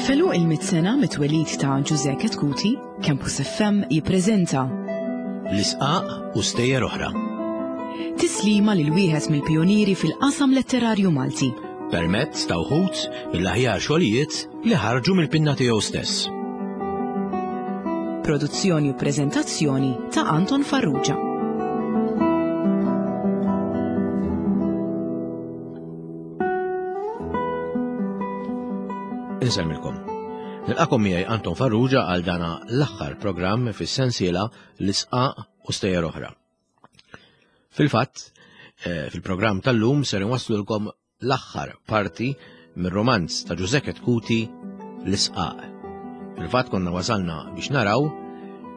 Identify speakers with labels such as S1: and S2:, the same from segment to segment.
S1: F'għeluq il-mitt sena mit-twelid ta' Ġużè Chetcuti, Campus FM jippreżenta
S2: L-Isqaq u Stejjer Oħra.
S1: Tislima lil wieħed mill-pijunieri fil-qasam letterarju Malti.
S2: Permezz ta' wħud mill-aħjar xogħlijiet li ħarġu mill-pinna tiegħu stess.
S1: Produzzjoni u preżentazzjoni ta' Anton Farrugia.
S2: Insemmilkom. Nilqakom miegħi Anton Farrugia għal dana l-aħħar programm fis-sensiela l-isqaq u stejjer oħra. Fil-fatt, eh, fil-programm tal-lum ser inwasslulkom l-aħħar parti mir-romanz ta' Ġużè Chetcuti L-Isqaq. Fil-fatt konna wasalna biex naraw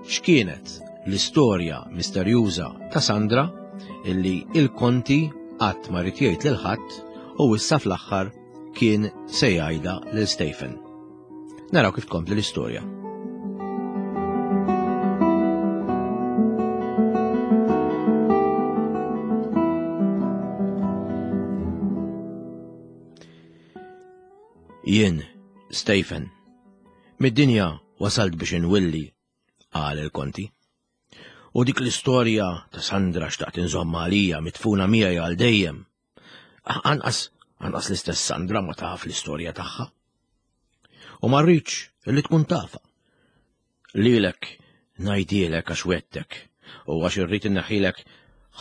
S2: x'kienet l-istorja misterjuża ta' Sandra illi il-konti qatt ma ried jgħid lil ħadd u issa fl-aħħar kien se jgħidha lil Stephen. Naraw kif tkompli l-istorja. Jien, Stephen, mid-dinja wasalt biex inwilli, qal il-konti. U dik l-istorja ta' Sandra xtaqt inżomma għalija mitfuna miegħi għal dejjem. Anqas, anqas l-istess Sandra ma taf l-istorja tagħha. U ma rridx li tkun tafa. Lilek ngħidilek għax wettek u għax irrid inneħħilek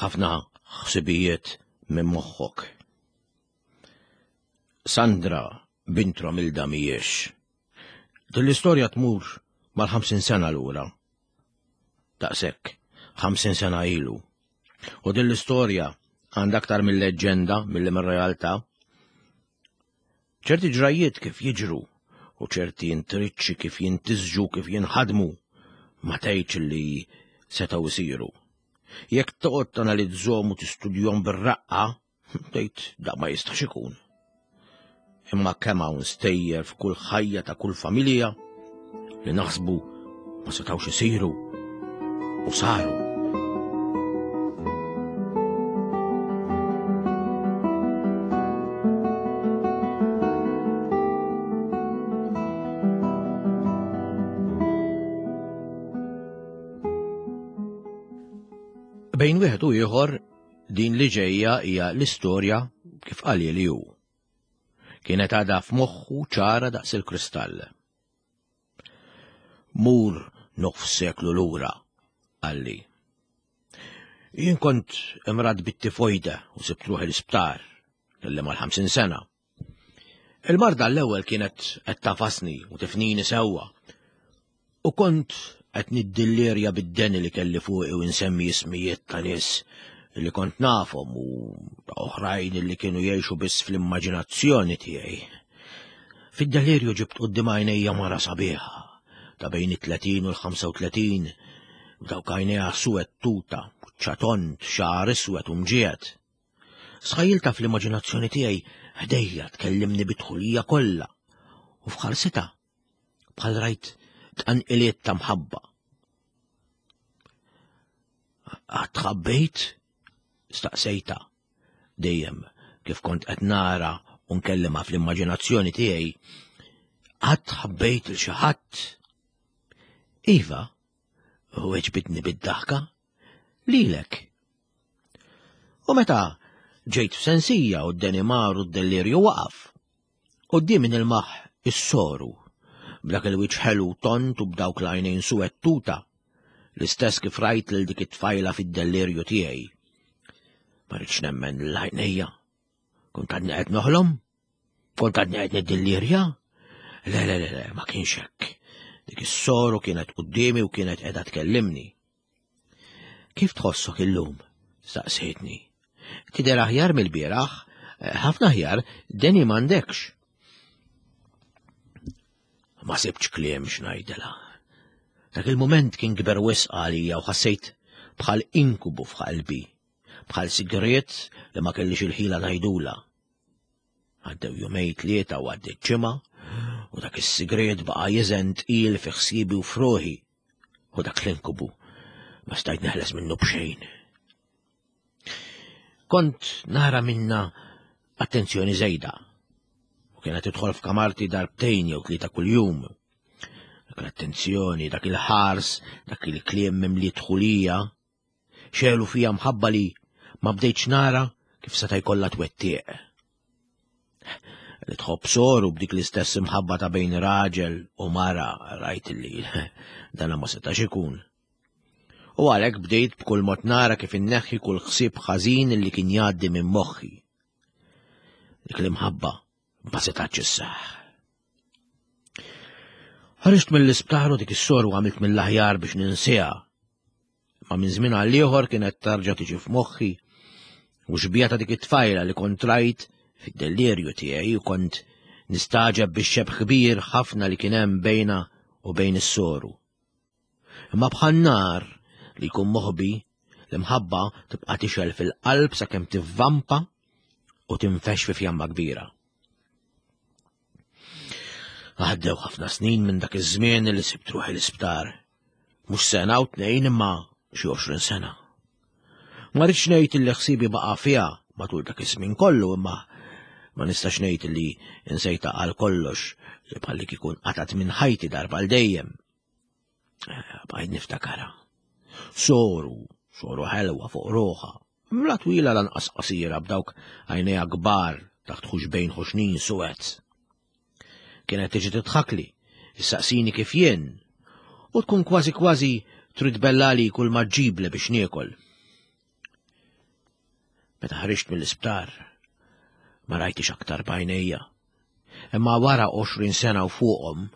S2: ħafna ħsibijiet minn moħħok. Sandra bint Romilda mhijiex. Din l-istorja tmur mal-50 sena lura. Daqshekk, 50 sena ilu. U din l-istorja għandha aktar mill-leġġenda milli mir-realtà. Ċerti ġrajjiet kif jiġru u ċerti intriċċi kif jintisġu kif jinħadmu ma tgħidx li setgħu jsiru. Jekk toqgħod tanalizzhom u tistudjhom bir-raqqa, Tgħid da ma jistax ikun. Imma kemm hawn stejjer f'kull ħajja ta' kull familja li naħsbu ma setgħux isiru u saru. Bejn wieħed u ieħor Din li ġejja hija l-istorja kif qalhieli hu. Kienet għadha f'moħħu ċara daqs il-kristall. Mur nofs seklu lura, qalli. Jien kont imrad bit-tifojda u sibt ruħi l-isptar, kelli mal-50 sena. Il-marda l-ewwel kienet qed tafasni u tifnini sewwa. U kont qed niddillirja bid-deni li kelli fuqi u nsemmi ismijiet ta' nies li kont nafhom u ta' oħrajn li kienu jgħixu biss fl-immaġinazzjoni tiegħi. Fid-delirju ġibt quddiem għajnejja mara sabiħa ta' bejn it-30 u l-35 b'dawk għajnejha suwed tuta, ċatont, xagħar iswed u mġiegħed. Sħajilta fl-immaġinazzjoni tiegħi ħdejja tkellimni bit-tħulija kollha u f'ħarsitha bħal rajt tqanqiliet ta' mħabba. Qatt ħabbejt? Staqsejta dejjem kif kont qed nara u nkellimha fl-immaġinazzjoni tiegħi. Qatt ħabbejt il xi ħadd? Iva, u weġbitni bid-daħka, lilek. U meta ġejt f'sensija u d-denimar u d-delirju waqaf, quddiemi nilmaħ is-soru, b'dak il-wiċċ ħelu tont u b'dawk l-għajnejn suwed tuta, l-istess kif rajt lil dik it-tfajla fid-delirju tiegħi. Ma rridx nemmen l-għajnejja. Kont għadni qed noħlom? Kont għadni qed niddillirja? Le, le, le, le, ma kienx hekk. Dik is-soru kienet quddiemi u kienet qiegħda tkellimni. Kif tħossok illum? Staqsejtni. Tidher aħjar mill-bieraħ, eh, ħafna aħjar, deni m'għandekx. Ma sibtx kliem x'ngħidilha. Dak il-mument kien kber wisq għalija u ħassejt bħal inkubu f'qalbi, bħal sigriet li ma kellix il-ħila ngħidula. Għaddew jumej tlieta u għaddiet ġimgħa u dak is-sigriet baqa' jiżen tqil fi ħsiebi u f'ruħi u dak l-inkubu ma stajt neħles minnu b'xejn. Kont nara minna attenzjoni żejda. U kienet tidħol f'kamarti darbtejn jew tlieta kuljum. Dak l-attenzjoni, dak il-ħars, dak il-kliem mimli dħulija, xelu fija mħabba li ma bdejtx nara kif seta' jkollha twettiq. Li tħobb soru b'dik l-istess imħabba ta' bejn raġel u mara rajt li dana ma setax ikun. U għalhekk bdejt b'kull mod nara kif inneħħi kull ħsieb ħażin li kien jgħaddi minn moħħi. Dik l-imħabba ma setax isseħħ. Ħariġt mill-isptar u dik is-soru għamilt mill-aħjar biex ninsiha. Ma minn żmien għal ieħor kienet tarġa' tiġi f'moħħi u xbija ta' dik it-tfajla li kont rajt fid-delirju tiegħi u kont nistaġeb bix-xebh kbir ħafna li kien hemm bejna u bejn is-soru. Imma bħal nar li jkun moħbi, l-imħabba tibqa' tixgħel fil-qalb sakemm tivvampa u tinfex fi fjamma kbira. Għaddew ħafna snin minn dak iż-żmien li sibt ruħi l-isptar. Mhux sena u tnejn imma xi 20 sena. Ma rridx ngħid li ħsiebi baqa' fiha matul dak iż-żmien kollu imma ma nistax ngħid li insejta għal kollox li bħalli kikun qatat minn ħajti darba għal dejjem. Eh, bqajt niftakara. Soru, soru ħelwa fuq ruħa, mla twila lanqas qasira b'dawk għajnejha kbar taħt ħuxbejn ħuxnin suwed. Kienet tiġi titħakli, issaqsini kif jien, u tkun kważi kważi trid bellali kull ma ġġibli biex niekol. Meta ħriġt mill-isptar, ma rajtix aktar b'għajnejja. Imma wara 20 sena u fuqhom,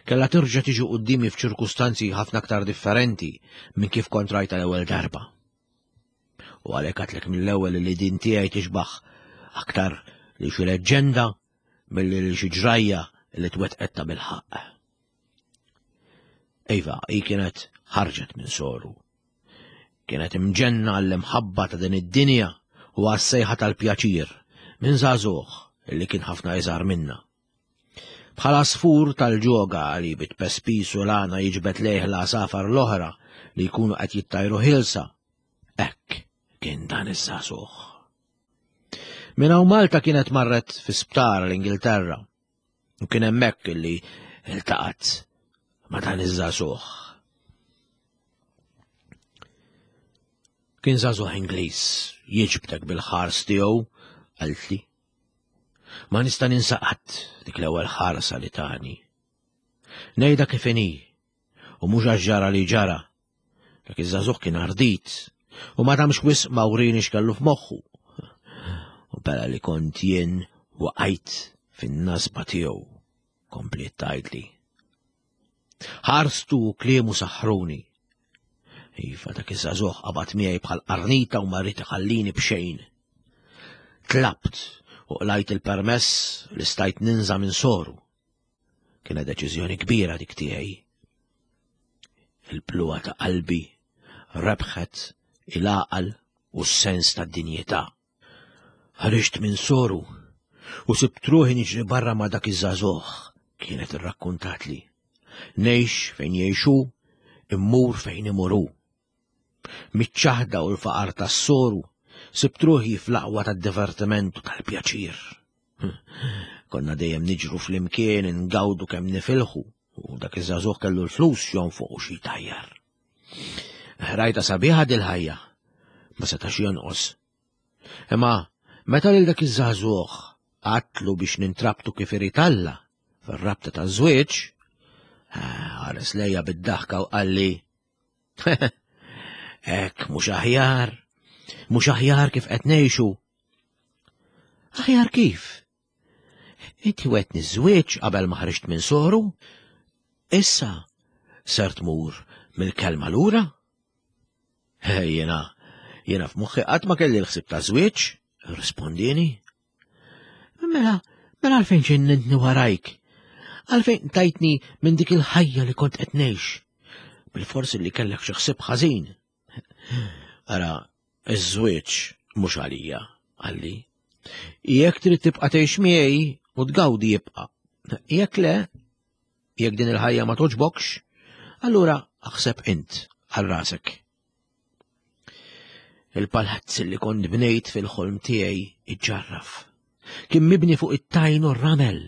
S2: kellha terġa' tiġi quddiemi f'ċirkustanzi ħafna aktar differenti minn kif kont rajta l-ewwel darba. U għalhekk għatlek mill-ewwel li din tiegħi tixbaħ aktar li xi leġġenda milli li xi ġrajja li twettqet ta' bilħaqq. Iva, hi kienet ħarġet minn soru. Kienet imġenna għall-imħabba ta' din id-dinja u għas-sejħa tal-pjaċir minn żagħżugħ li kien ħafna iżgħar minna. Bħal għasfur tal-ġoga li bit-pespis u l-għana jiġbed lejh l-għasafar l-oħra li jkunu qed jittajru ħielsa, hekk kien dan iż-żagħżugħ. Minn hawn Malta kienet marret fi sptar l-Ingilterra u kien hemmhekk illi iltaqgħet ma' dan iż-żagħżugħ. Kien żagħżugħ Ingliż jiġbdek bil-ħars tiegħu, qaltli. Ma nista' ninsa qatt dik l-ewwel ħarsa li tani. Ngħidha kif inhi, u mhux għax ġara li ġara. Dak iż-żagħżugħ kien ardit u ma damx wisq ma wrini x'kellu f'moħħu. U bella li kont jien waqajt fin-nasba tiegħu, kompliet tgħidli. Ħarstu u kliemu saħħruni. Iva dak iż-żagħżugħ qabad miegħi bħal qarnita u ma rrid iħallini b'xejn. Tlabt u qlajt il-permess li stajt ninża minn soru. Kienet deċiżjoni kbira dik tiegħi. Il-bluha ta' qalbi rebħet il-għaqal u s-sens tad-dinjità. Ħriġt minn soru u sibt ruħi niġri barra ma' dak iż-żagħżugħ, kienet irrakkuntatli. Ngħix fejn jgħixu, immur fejn imur hu. Miċ-ċaħda u l-faqar tas-soru, sibt ruħi fl-aqwa tad-divertiment u tal-pjaċir. Konna dejjem niġru flimkien ingawdu kemm nifilħu u dak iż-żagħżugħ kellu l-flus jonfoq u xi jtajjar. Rajta sabiħa dil-ħajja, ma setax jonqos. Imma meta lil dak iż-żagħżugħ għatlu biex nintrabtu kif irid Alla fir-rabta taż-żwieġ, ħares lejja bid-daħka u qalli Hekk mhux aħjar, mhux aħjar kif qed ngħixu. Aħjar kif? Inti wetni żwieġ qabel ma ħriġt minn soru? Issa ser tmur mill-kelma lura? Jiena, jiena f'moħħi qatt ma kelli l-ħsieb ta' żwieġ, rispondini. Mela, mela għalfejn ġennintni warajk? Għalfejn tajtni minn dik il-ħajja li kont qed ngħix? Bil-forsi li kellek xi ħsieb ħażin. Ara, iż-żwieġ mhux għalija, qalli. Jekk trid tibqa' tgħix miegħi u tgawdi jibqa'. Jekk le, jekk din il-ħajja ma toġbokx, allura aħseb int għal rasek. Il-palazz li kont bnejt fil-ħolm tiegħi iġġarraf. Kien mibni fuq it-tajn u r-ramel.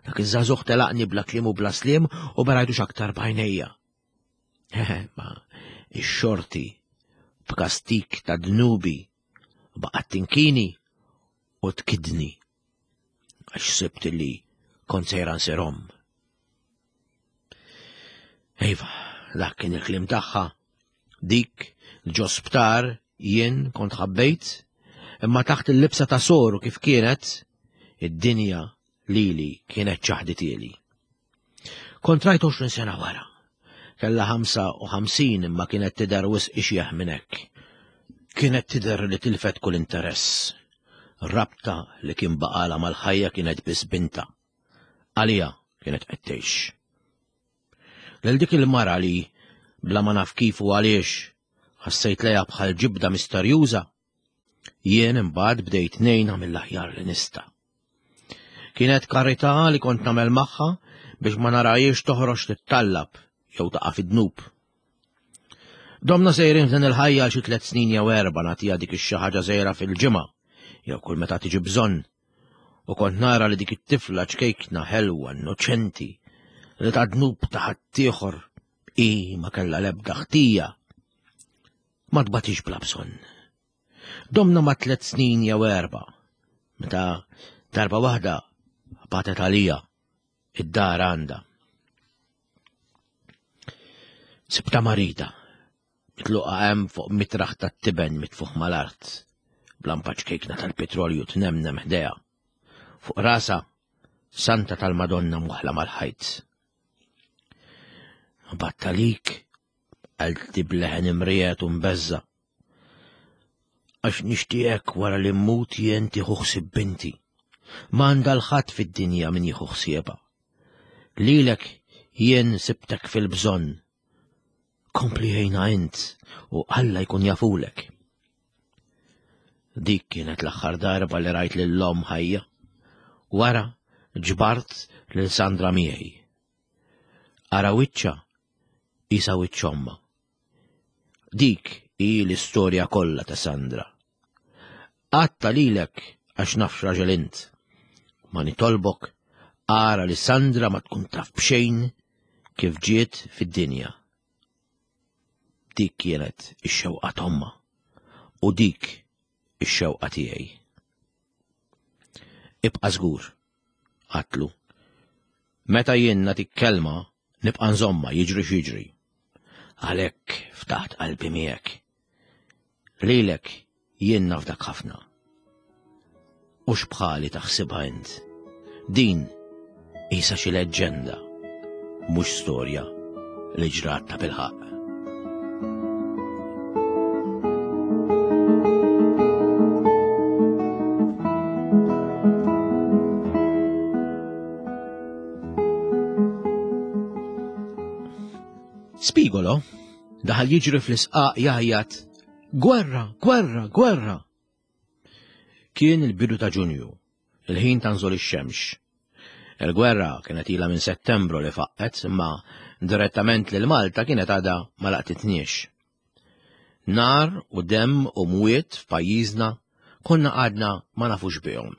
S2: Dak iż-żagħżugħ telaqni bla kliem u bla sliem u ma rajtux aktar b'għajnejja. Ma ix-xorti b'kastik ta' dnubi baqgħet tinkini u tkidni għax sibt li kont sejra nsir omm. Iva, dak kien il-kliem tagħha. Dik ġo sptar jien kont ħabbejt, imma taħt il-libsa ta' soru kif kienet, id-dinja lili kienet ċaħditieli. Kont rajt 20 sena wara. Kella 55 imma kienet tidher wisq ixjeħ minn hekk. Kienet tidher li tilfet kull interess. Rabta li kien baqala mal-ħajja kienet biss binta. Għalija kienet qed tgħix. Lil dik il-mara li bla ma naf kif u għaliex ħassejt lejha bħal ġibda misterjuża, jien imbagħad bdejt ngħinha mill-aħjar li nista'. Kienet karità li kont nagħmel magħha biex ma narajiex toħroġ tittallab jew taqa' fid-dnub. Domna sejrin f'din il-ħajja xi tliet snin jew erba' nagħtiha dik ix-xi ħaġa żgħira fil-ġimgħa jew kull meta tiġi bżonn. U kont nara li dik it-tifla ċkejkna ħelwa innoċenti li ta' dnub ta' ħaddieħor i ma kellha l-ebda ħtija. Ma tbatix bla bżonn. Domna ma' tlet snin jew erba, meta darba waħda batet għalija id-dar għandha. Sibta marida, mitluqa hemm fuq mitraħ tat-tiben mitfuħ mal-art, blampa ċkejkna tal-petrolju tnemnem ħdejha. Fuq rasa, Santa tal-Madonna mwaħla mal-ħajt. Battalik, qaltli b'leħen imriegħed u mbeżża'. Għax nixtieqek wara li mmut jien tieħu ħsieb binti. M'għandha l-ħadd fid-dinja min jieħu ħsiebha. Lilek jien sibtek fil-bżonn. Kompli ħejna int u Alla jkun jafulek. Dik kienet l-aħħar darba li rajt lil omm ħajja. Wara ġbart lil Sandra miegħi. Ara wiċċha isa wiċċ ommha. Dik hi l-istorja kollha ta' Sandra. Għatta lilek għax naf x'raġel int. Ma nitolbok ara li Sandra ma tkun taf b'xejn kif ġiet fid-dinja. Dik kienet ix-xewqa t'ommha u dik ix-xewqa tiegħi. Ibqa' żgur, għatlu. Meta jien nagħtik kelma, nibqa' nżommha jiġri x'jiġri. Għalhekk ftaħt qalbi miegħek. Lilek jien nafdak ħafna. U x'bħali taħsibha int. Din qisha xi leġġenda, mhux storja li ġrat ta' bilħaqq. Spigolo daħal jiġri fl-isqaq jgħajjat Gwerra, gwerra, gwerra! Kien il-bidu ta' Ġunju, il-ħin ta' nżul ix-xemx. Il-gwerra kienet ilha minn Settembru li faqqet, imma direttament lil Malta kienet għadha ma laqtitniex. Nar u demm u mwiet f'pajjiżna konna għadna ma nafux bihom.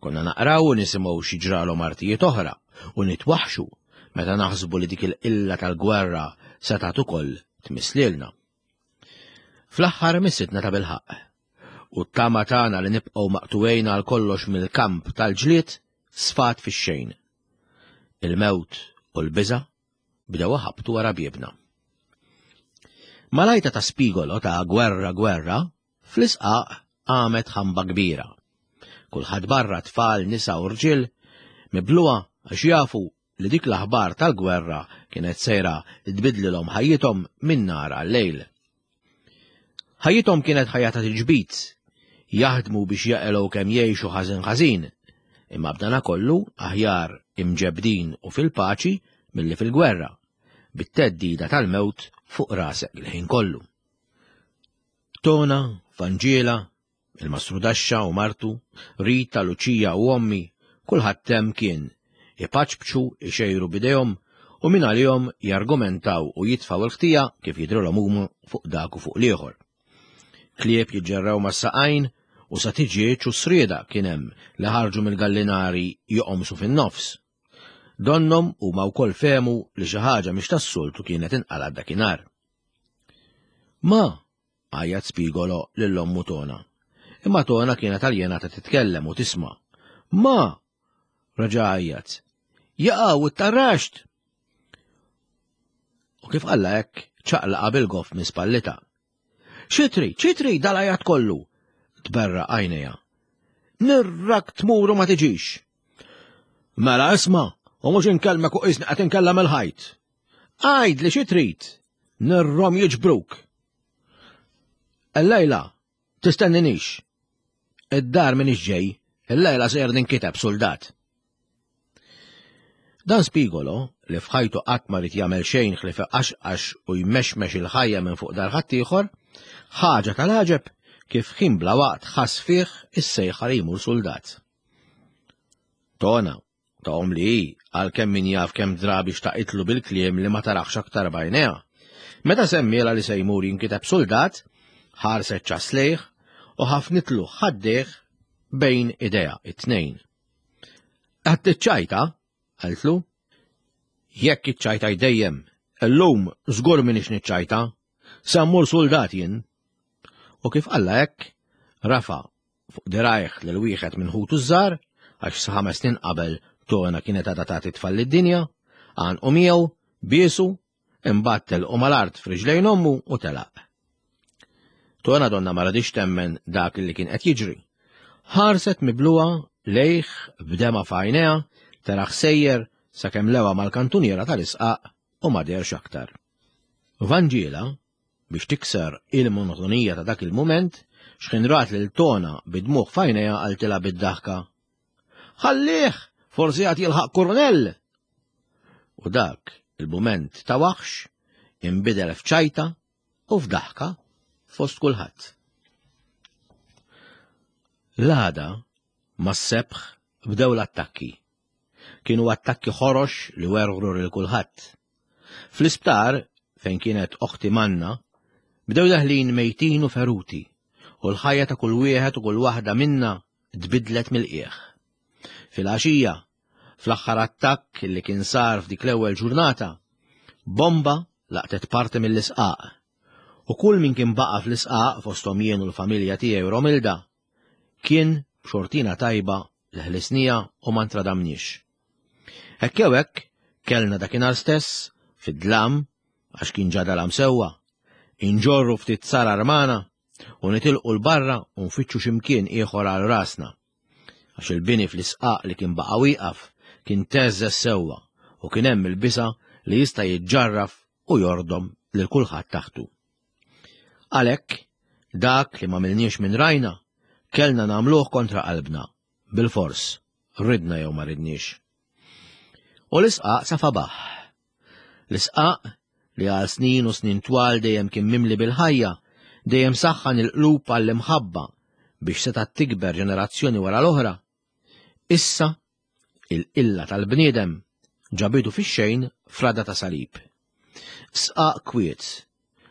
S2: Konna naqraw u nisimgħu xi ġralhom artijiet oħra u nitwaħxu meta naħsbu li dik il-qilla tal-gwerra setgħet ukoll tmiss lilna. Fl-aħħar missitna ta' bilħaqq. U t-tama tagħna li nibqgħu maqtugħin għal kollox mill-kamp tal-ġlied sfat fix-xejn. Il-mewt u l-biża' bdew iħabbtu wara biebna. Malajta ta' spigolo ta' gwerra gwerra, fl-isqaq qamet ħamba kbira. Kulħadd barra tfal, nisa u rġiel, mibluha għax jafu li dik l-aħbar tal-gwerra kienet sejra tbidlilhom ħajjithom minn nhar għal-lejl. Ħajjithom kienet ħajja ta' tiġbid, jaħdmu biex jaqilgħu kemm jgħixu ħażin ħażin, imma b'dana kollu aħjar imġebbdin u fil-paċi milli fil-gwerra, bit-theddida tal-mewt fuq rasek il-ħin kollu. Tona, Vanġiela, Il-mastrudaxxa u martu, Rita, Luċija u ommi, kulħadd hemm kien, ipaċpċu, ixejru b'idejhom u mingħalihom jargumentaw u jitfgħu l-ħtija kif jidhrilhom huma fuq dak u fuq l-ieħor. Klieb jiġġerrew mas-saqajn u U sa tiġieġ u srieda kien hemm li ħarġu mill-gallinari joqomsu fin-nofs. Donnhom huma wkoll fehmu li xi ħaġa mhix tas-soltu kienet inqalgħet dakinhar. Ma! għajjat Spigolo lil ommu Tona. Imma Tona kienet aljenata titkellem u tisma'. Ma! Reġa' għajjat. Jaqaw it-tarraxt! U kif qalla hekk ċaqlaqa bil-goff minn spallita. Xi trid, xi trid dal-għajat kollu? Tberraq għajnejha. Nirrak tmur u ma tiġix. Mela isma', u mhux inkellmek u qisni qed inkellem il-ħajt. Għid li xi trid, nirrom jiġbruk. Illejla, tistenninix. Id-dar minix ġej, illejla sejjer ninkiteb suldat. Dan Spigolo, li f'ħajtu qatt ma ried jagħmel xejn ħlief iqaxqax u jmexmex il-ħajja minn fuq dar ħaddieħor, ħaġa tal-għaġeb kif ħin bla waqt ħass fih is-sejħa li jmur suldat. Tona, ta' omm li hi, għalkemm min jaf kemm drabi xtaqitlu bil-kliem li ma taraħx aktar b'għajnejha. Meta semmielha li se jmur jinkiteb suldat, ħarset ċass lejh u ħafnitlu ħaddejh bejn idejha it-tnejn. Qed tiċċajta? qaltlu. Jekk iċċajta dejjem, illum żgur m'iniex niċċajta. Se mmur suldat jien. U kif qalla hekk, rafa' fuq dirajh lil wieħed minn ħutu ż-żgħar, għax sa ħames snin qabel Tona kienet għadha tagħti tfal lid-dinja, għanqu miegħu, biesu Imbagħad telqu mal-art f'riġlejn ommu u telaq. Tona donna ma radix temmen dak li kien qed jiġri. Ħarset mibluha lejh b'dema f'għajnejha taraħ sejjer sakemm lewa mal-kantuniera tal-isqaq u ma deherx aktar. Vanġiela, biex tikser il-monotonija ta' dak il-mument, xħin rat lil Tona bid-dmugħ f'għajnejha qaltilha bid-daħka, Ħallih, forsi għad jilħaq kurnell! U dak il-mument ta' waħx inbidel f'ċajta u f'daħka fost kulħadd. L-għada mas-sebħ bdew l-attakki. Kienu attakki ħorox li werwru lil kulħadd. Fl-isptar, fejn kienet oħti Manna, bdew daħlin mejtin u feruti, u l-ħajja ta' kull wieħed u kull waħda minna tbiddlet mill-qiegħ. Filgħaxija, fl-aħħar attakk li kien sar f'dik l-ewwel ġurnata, bomba laqtet parti mill-isqaq. U kull min kien baqa' fl-isqaq fosthom jien u l-familja tiegħi Romilda, kien b'xortina tajba li ħlisnija u ma ntradamniex. Hekk jew hekk, kellna dakinhar stess, fid-dlam, għax kien ġa dalam sewwa, inġorru ftit sarar magħna u nitilqu 'l barra u nfittxu xi mkien ieħor għal rasna. Għax il-bini fl-isqaq li kien baqa' wieqaf kien theżżeż sewwa u kien hemm il-bisa' li jista' jiġġarraf u jordom lil kulħadd taħtu. Għalhekk, dak li m'għamilniex minn rajna, kellna nagħmluh kontra qalbna, bilfors, ridna jew ma ridniex. U l-isqaq safa baħħ. L-isqaq li għal snin u snin twal dejjem kien mimli bil-ħajja, dejjem saħħan il-qlub għall-imħabba biex setgħet tikber ġenerazzjoni wara l-oħra. Issa, il-qilla tal-bniedem ġabitu fix-xejn frada ta' salib. Sqaq kwiet,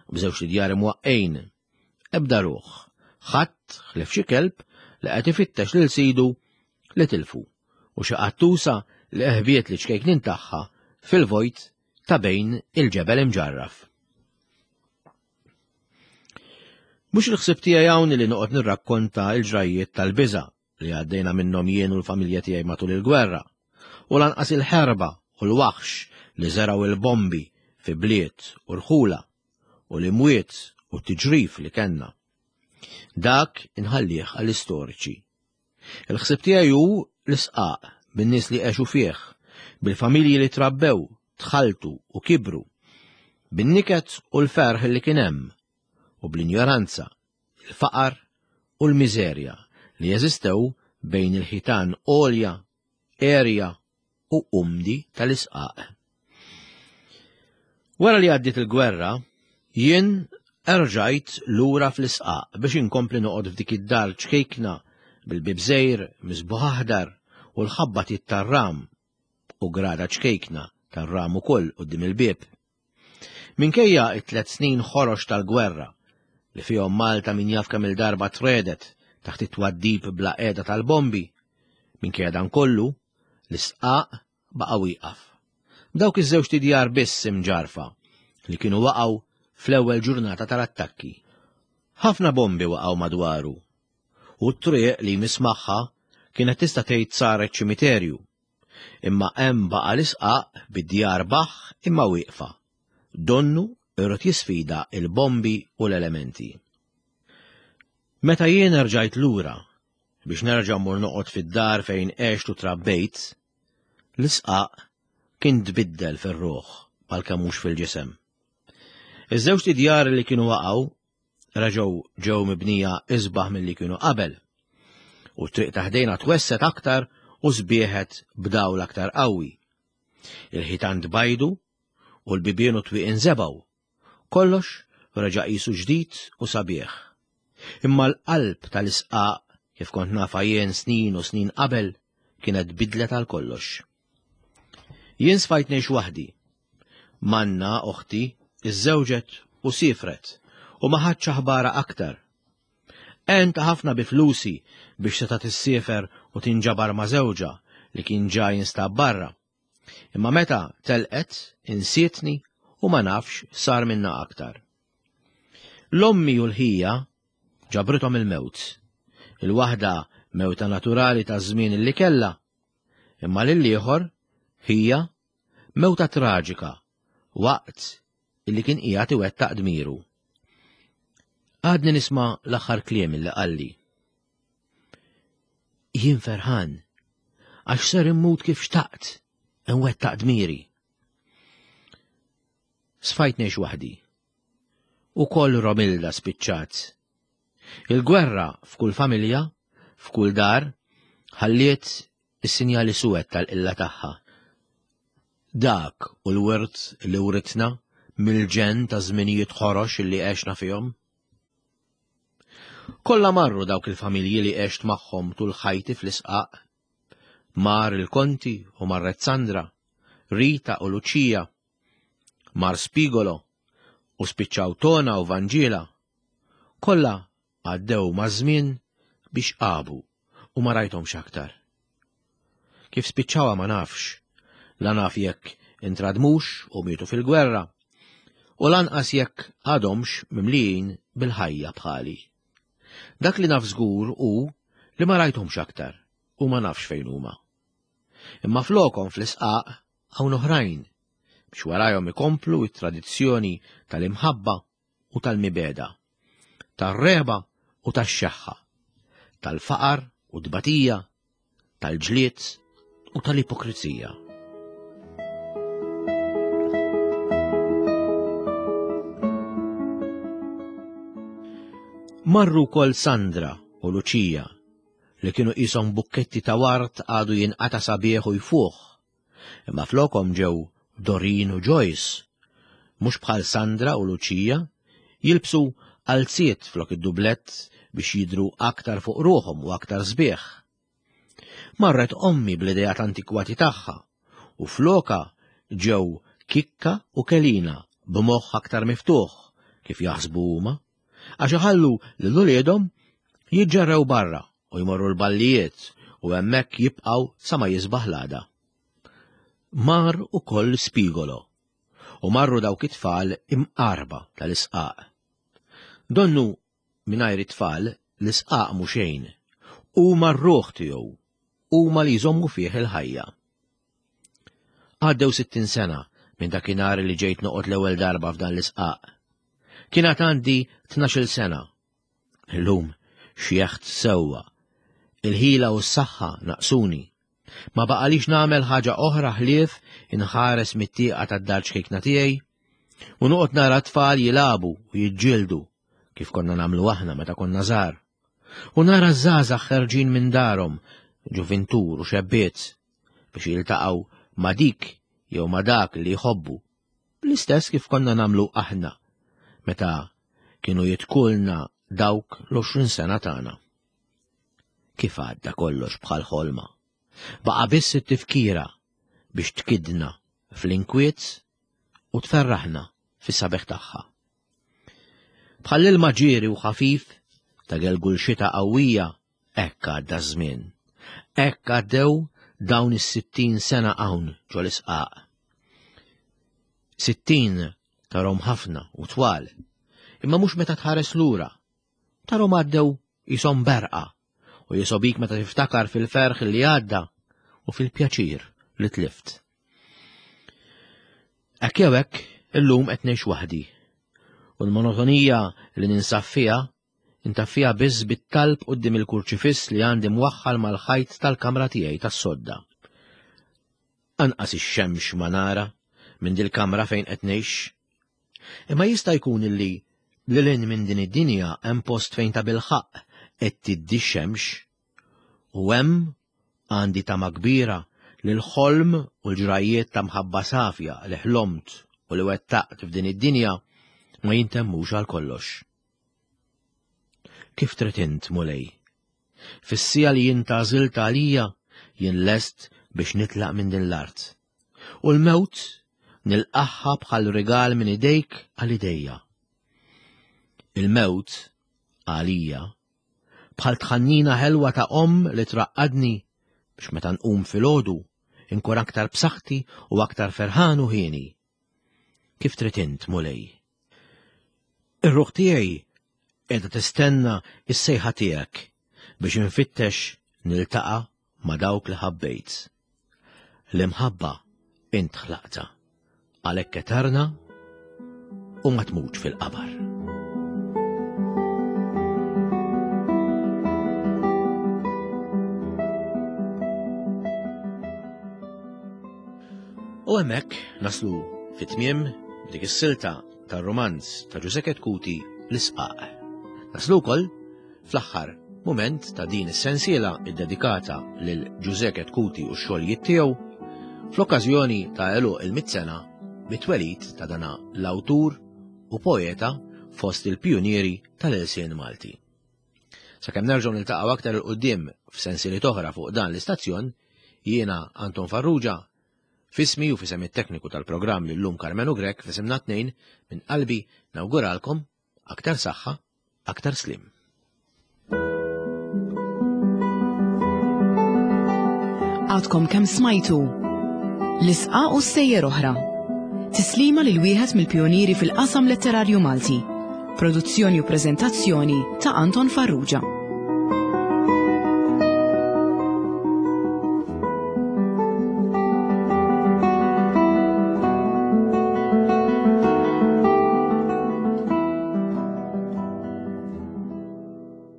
S2: b'żewġ djar imwaqqejn, ebda ruħ, ħadd ħlief xi kelb li qed ifittex lil sidu li tilfu u xi qattusa li eħbiet li ċkejknin tagħha fil-vojt ta' bejn il-ġebel imġarraf. Mhux il-ħsieb tiegħi hawn li noqgħod nirrakkonta l-ġrajjiet tal-biża' li għaddejna minnhom jien u l-familja tiegħi matul il-gwerra, u lanqas il-ħerba u l-waħx li żergħu il-bombi fi bliet u rħula u l-imwiet u t-tiġrif li kellna. Dak inħallih għall-istoriċi. Il-ħsieb tiegħi hu l-isqaq bin-nies li għexu fih, bil-familji li trabbew, tħalltu u kibru, bin-niket u l-ferħ li kien hemm, u bl-injoranza, il-faqar u l-miżerja li jeżistew bejn il-ħitan għolja, għerja u umdi tal-isqaq. Wara li għaddiet il-gwerra, jien erġajt lura fl-isqaq biex inkompli noqgħod f'dik id-dar ċkejkna bil-bib żgħir misbuħ aħdar u l-ħabba tar-ram u grada ċkejkna tar-ram ukoll quddiem il-bieb. Minkejja it-tlet snin ħorox tal-gwerra li fihom Malta min jaf kemm il-darba tredet, taħt it-twaddib bla qiegħda tal-bombi. Minkejja dan kollu, l-isqaq baqa' wieqaf. B'dawk iż-żewġt idjar biss imġarrfa li kienu waqgħu fl-ewwel ġurnata tal-attakki. Ħafna bombi waqgħu madwaru u t-triq li jmiss magħha kienet tista' tgħid saret ċimiterju. Imma hemm baqa' l-isqaq bid-djar baħħ imma wieqfa. Donnu irid jisfida il-bombi u l-elementi. Meta jien erġajt lura biex nerġa' mmur noqgħod fid-dar fejn għext u trabbejt, l-isqaq kien tbiddel fir-ruħ għalkemm mhux fil-ġisem. Iż-żewġt idjar li kienu waqgħu reġgħu ġew mibnija isbaħ milli kienu qabel. U t-triq ta' ħdejna twesset aktar u sbieħet b'dawl aktar qawwi. Il-ħitan tbajdu u l-bibien u twieq inżebgħu. Kollox reġa' qisu ġdid u sabiħ. Imma l-qalb tal-isqaq, kif kont nafha jien snin u snin qabel, kienet bidlet għal kollox. Jien sfajt ngħix waħdi. Manna, oħti, iżżewġet u siefret u ma ħadtx aħbarha aktar. Għentha ħafna bi flusi biex setgħet issiefer u tinġabar ma' żewġha li kien ġa jinstab barra. Imma meta telqet insietni u ma nafx sar minna aktar. L-ommi u l-ħija ġabrithom il-mewt. Il-waħda mewta naturali ta' żmien li kellha, imma lill-ieħor ħija mewta traġika waqt illi kien qiegħed iwettaq dmiru. Għadni nisma' l-aħħar kliem illi qalli. Jien ferħan, għax ser immut kif xtaqt, nwettaq dmiri. Sfajt ngħix waħdi. U koll Romilda spiċċat. Il-gwerra f'kull familja, f'kull dar, ħalliet is-sinjali suwed tal-qilla tagħha. Dak u l-wirt li writna mill-ġenn ta' żminijiet ħorox li għexna fihom. Kollha marru dawk il-familji li għext magħhom tul ħajti fl-isqaq. Mar il-Konti u marret Sandra, Rita u Luċija, mar Spigolo u spiċċaw Tona u Vanġiela. Kollha għaddew maż-żmien biex qabu u ma rajthomx aktar. Kif spiċċawha ma nafx, la naf jekk intradmux u mietu fil-gwerra, u lanqas jekk għadhomx mimlijin bil-ħajja bħali. Dak li naf żgur hu li ma rajthomx aktar u ma nafx fejn huma. Imma flokhom fl-isqaq hawn oħrajn biex warajhom ikomplu t-tradizzjoni tal-imħabba u tal-mibegħda, tar-regħba u tax-xeħħa, tal-faqar u tbatija, tal-ġlied u tal-ipokrizija. Marru wkoll Sandra u Luċija li kienu qishom bukketti ta' ward għadu jinqata' sabiħ u jfuħ Imma flokhom ġew Doreen u Joyce, mhux bħal Sandra u Lucia, jilbsu qalziet flok id-dublett biex jidhru aktar fuq ruħhom u aktar sbieħ. Marret ommi bl-ideat antikwati tagħha u flokha ġew Kikka u Kelina b'moħħ aktar miftuħ kif jaħsbu huma, għax iħallu lil uliedhom jiġġerrew barra u jmorru l-ballijiet u hemmhekk jibqgħu sa ma jisbaħ l-għada. Mar ukoll Spigolo u marru dawk it-tfal imqarba tal-isqaq. Donnu mingħajr it-tfal l-isqaq mhu xejn, huma r-ruħ tiegħu, huma li jżommu fih il-ħajja. Għaddew 60 sena minn dakinhar li ġejt noqgħod l-ewwel darba f'dan l-isqaq. Kien għad għandi 12-il sena Illum xjeħt sewwa. Il-ħila u s-saħħa naqsuni. Ma baqalix nagħmel ħaġa oħra ħlief inħares mit-tieqa tad-dar ċkejkna tiegħi u noqgħod nara tfal jilagħbu u jiġġieldu kif konna nagħmlu aħna meta konna żgħar. U nara żgħażagħ ħerġin minn darhom, ġuvintur u xebbiet, biex jiltaqgħu ma' dik jew ma' dak li jħobbu L-istess kif konna nagħmlu aħna meta kienu jitkulna dawk l-20 sena tagħna. Kif għadda kollox bħal ħolma. Baqa' biss it-tifkira biex tkidna fl-inkwiet u tferraħna fis-sabeħ tagħha. Bħall-ilma ġieri u ħafif ta' gelgul xita qawwija, hekk għadda ż-żmien. Hekk għaddew dawn is-60 sena hawn ġol-isqaq. 60 tarhom ħafna u twal, imma mhux meta tħares lura. Tarhom għaddew qishom berqa u jisobik meta tiftakar fil-ferħ li għadda u fil-pjaċir li tlift. Hekk jew hekk, illum qed ngħix waħdi. U l-monotonija li ninsab fiha intaffiha biss bit-talb quddiem il-kurċifiss li għandi mwaħħal mal-ħajt tal-kamra tiegħi tas-sodda. Anqas ix-xemx ma nara minn dil-kamra fejn qed ngħix. Imma jista' jkun illi lil hinn minn din id-dinja hemm post fejn tabilħaqq qed tiddi x-xemx. U hemm għandi tama kbira li l-ħolm u l-ġrajjiet ta' mħabba safja li ħlomt u li wettaqt f'din id-dinja ma jintemmux għal kollox. Kif trid int, Mulej? Fis-siegħa li int għażilt għalija, jien lest biex nitlaq minn din l-art. U l-mewt nilqagħha bħal rigal minn idejk għal idejja. Il-mewt għalija bħal tħannina ħelwa ta' omm li traqqadni biex meta nqum filgħodu inkun aktar b'saħħti u aktar ferħan u hieni. Kif trid int, Mulej? Ir-ruħ tiegħi qiegħda tistenna s-sejħa tiegħek biex infittex niltaqa' ma' dawk li ħabbejt. L-imħabba int ħlaqtha, għalhekk eterna u ma tmutx fil-qabar. U hemmhekk naslu fit-tmiem dik is-silta tar-rumanz ta' Ġużè Chetcuti L-Isqaq. Naslu wkoll fl-aħħar mument ta' din is-sensiela ddedikata lil Ġużè Chetcuti u x-xogħlijiet tiegħu fl-okkażjoni ta' għeluq il-mitt sena mit-twelid ta' dana l-awtur u poeta fost il-pijunieri tal-ilsien Malti. Sakemm nerġgħu niltaqgħu aktar 'il quddiem f'sensiliet oħra fuq dan l-istazzjon, jiena Anton Farrugia F'ismi u f'isem it-tekniku tal-programm l-illum Karmenu Grech f'isimna t-tnejn minn qalbi nawguralkom aktar saħħa, aktar sliem.
S1: Għadkom kemm smajtu L-isqa u sejjer oħra. Tislima lil wieħed mill-pijunieri fil-qasam letterarju Malti. Produzzjoni u preżentazzjoni ta' Anton Farrugia.